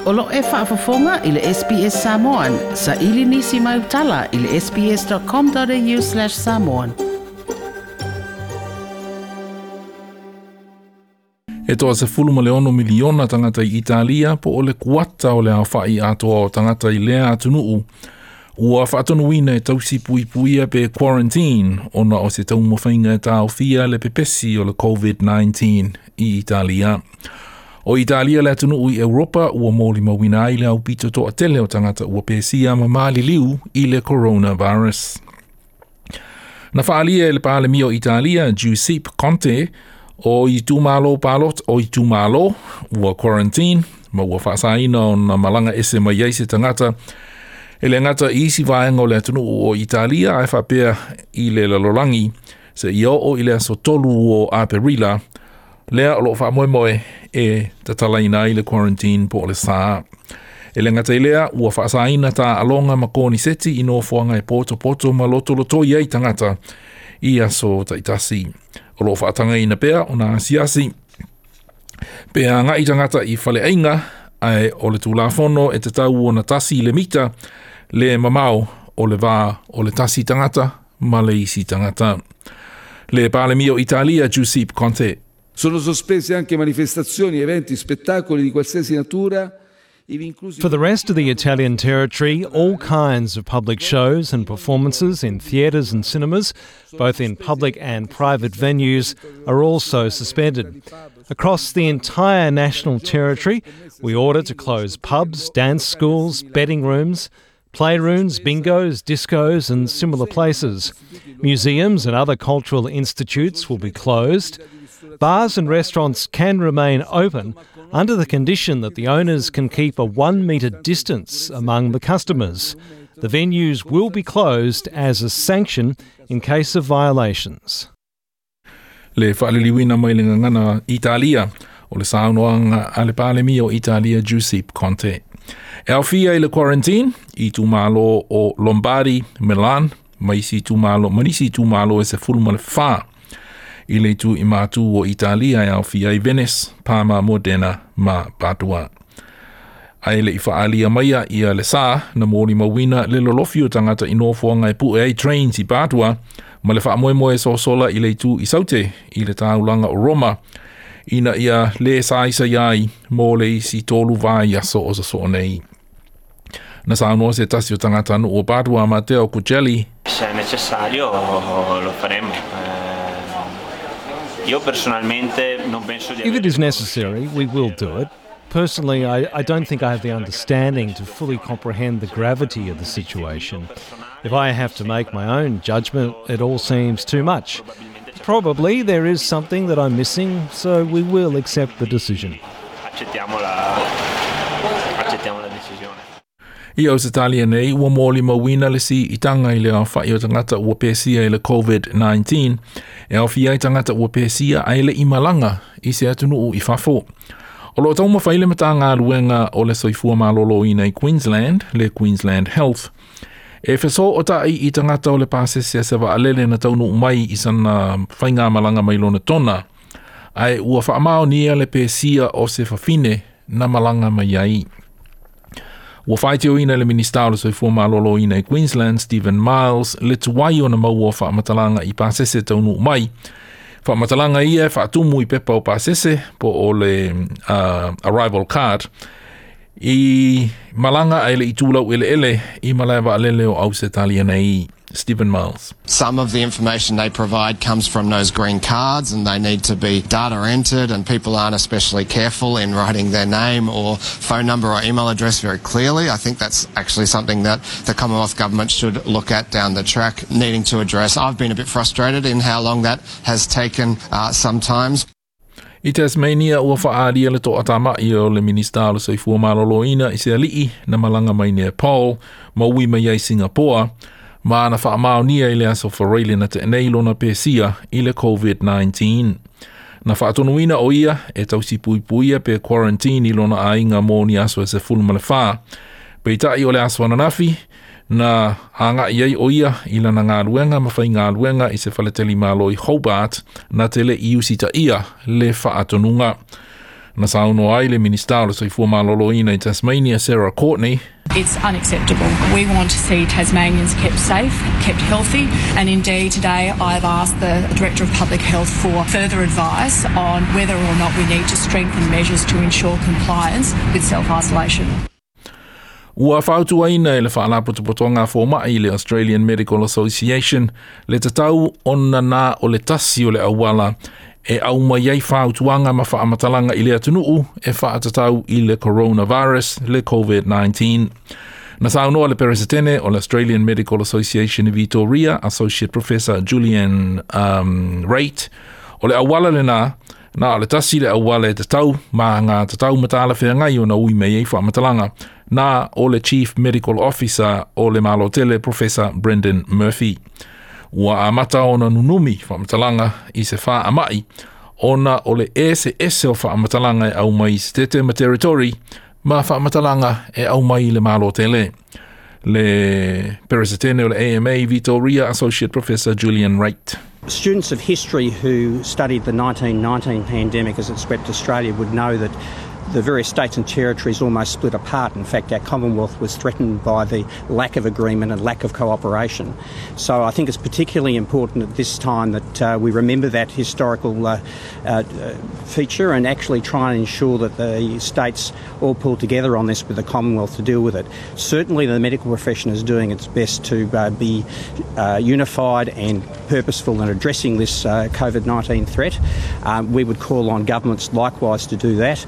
O lo o e faafofoga i le SBS Samoan. Saili nisi mai tala i le sbs.com.au/samoan. E 36 miliona tagata i Italia po o le kuata o le aofa'i atoa o tagata i lea atunuu ua faatonuina e tausi puipuia pe quarantine ona o se taumafaiga e taofia le pepesi o le COVID-19 i Italia. O Italia le atunuu i Europa ua molimauina ai le aupito toatele o tagata ua pesia ma maliliu i le coronavirus. Na faalia e le Palemia o Italia, Giuseppe Conte, o itumalo palota o itumalo ua quarantine ma ua faasaina ona malaga ese mai ai se tagata e le gata i isi vaega o le atunuu o Italia ae faapea i le lalolagi seia oo i le aso 3 o Aperila lea o loo faamoemoe e tatalaina ai le quarantine po o le sā. E le gata i lea ua faasaina taaloga ma koniseti i nofoaga e potopoto ma lotolotoi ai tagata i aso taitasi. O loo faatagaina pea ona asiasi pe agai tagata i faleaiga ae o le tulafono e tatau ona 1 le mita le mamao o le va o le tasi tagata ma le isi tagata. Le Palemia o Italia Giuseppe Conte. Sono sospese anche manifestazioni, eventi, spettacoli di qualsiasi natura. For the rest of the Italian territory, all kinds of public shows and performances in theatres and cinemas, both in public and private venues, are also suspended. Across the entire national territory, we order to close pubs, dance schools, betting rooms, playrooms, bingos, discos and similar places. Museums and other cultural institutes will be closed. Bars and restaurants can remain open under the condition that the owners can keep a 1 metre distance among the customers. The venues will be closed as a sanction in case of violations. Le faaliliuina mai le gagana Italia o le saunoaga a le Palemia o Italia Giuseppe Conte. E aofia i le quarantine itumalo o Lombardy, Milan, ma isi itumalo, ma nisi itumalo e 14 i le itu i matu o Italia e aofia i Venice, Parma, Modena ma Padua. Ae le i faalia maia ia le sā na molimauina le lolofi o tagata i nofoaga e pue ai trains i Padua ma le faamoemoe sosola i le itu i Saute i le taulaga o Roma ina ia lē saisai ai mo le isi 3 vaiaso o sosoo nei. Na saunoa se tasi o tagata nuu o Padua Matteo Cucelli. Se è necessario lo faremo. Io personalmente non penso di If it is necessary, we will do it. Personally, I don't think I have the understanding to fully comprehend the gravity of the situation. If I have to make my own judgment, it all seems too much. Probably there is something that I'm missing, so we will accept the decision. Accettiamo la decisione. I Ausetalia nei, ua molimauina le siitaga i le aofa'i o tagata ua pesia i le COVID-19, e aofia ai tagata ua pesia ae le'i malaga i se atunuu i fafo. O loo taumafai le Matagaluega o le Soifua Maloloina i Queensland, le Queensland Health, e fesoota'i i tagata o le pasese a se vaalele na taunuu mai i sana faigamalaga mai lona tona, ae ua faamaonia le pesia o se fafine na malaga mai ai. Ua faitioina le Minista o le Soifua Maloloina i Queensland, Stephen Miles, le tuai ona maua o faamatalaga i pasese taunuu mai. Faamatalaga ia e faatumu i pepa o pasese po o le arrival card i malaga ae le'i tulau eleele i malae vaalele o Ausetalia nei. Stephen Miles. Some of the information they provide comes from those green cards and they need to be data entered, and people aren't especially careful in writing their name or phone number or email address very clearly. I think that's actually something that the Commonwealth Government should look at down the track, needing to address. I've been a bit frustrated in how long that has taken sometimes. I Tasmania ua faalia le toatama'i o le Minista o le Soifua Maloloina i se ali'i na malaga mai Nepal ma ui mai ai Singapore ma na faamaonia i le aso Faraile na tenei lona pesia i le COVID-19. Na faatonuina o ia e tausi puipuia pe quarantine i lona aiga mo ni aso e 14. Peitai o le aso ananafi, na aga'i ai o ia i lana galuega ma faigaluega i se faletali malo i Hobart na te le'i usitaia le faatonuga. Na saunoa ai le Minisita o le Soifua Maloloina i Tasmania, Sarah Courtney. It's unacceptable. We want to see Tasmanians kept safe, kept healthy, and indeed today I've asked the Director of Public Health for further advice on whether or not we need to strengthen measures to ensure compliance with self-isolation. Ua fautuaina e le Faalapotopotoga a Fomai le Australian Medical Association le tatau ona na o le tasi o le auala e aumai ai fautuaga ma faamatalaga i le atunuu e faatatau i le coronavirus, le COVID-19. Na saunoa le Peresetene o le Australian Medical Association i Vitoria, Associate Professor Julian Raitt, o le auala lena, na o le tasi le auala e tatau ma ngā tatau ma talafeagai ona ui mai ai faamatalaga, na o le Chief Medical Officer o le Malo Tele, Professor Brendan Murphy. Ua amata ona nunumi faamatalaga i se faamai ona o le eseese o faamatalaga e aumai i Setete ma Territory ma faamatalaga e aumai i le Malo Tele. Le Peresetene o le AMA Vitoria, Associate Professor Julian Wright. Students of history who studied the 1919 pandemic as it swept Australia would know that the various states and territories almost split apart. In fact, our Commonwealth was threatened by the lack of agreement and lack of cooperation. So I think it's particularly important at this time that we remember that historical feature and actually try and ensure that the states all pull together on this with the Commonwealth to deal with it. Certainly the medical profession is doing its best to be unified and purposeful in addressing this COVID-19 threat. We would call on governments likewise to do that.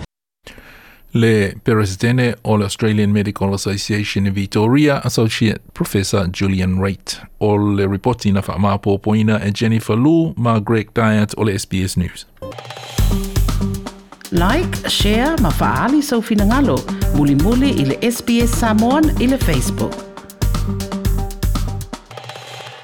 Le Peresetene o le Australian Medical Association i Vitoria, Associate Professor Julian Wright. O le ripoti na faamaopoopoina e Jennifer Lu ma Greg Dyett o le SBS News. Like, share ma faaali sou finagalo. Mulimuli i le SBS Samoan i le Facebook.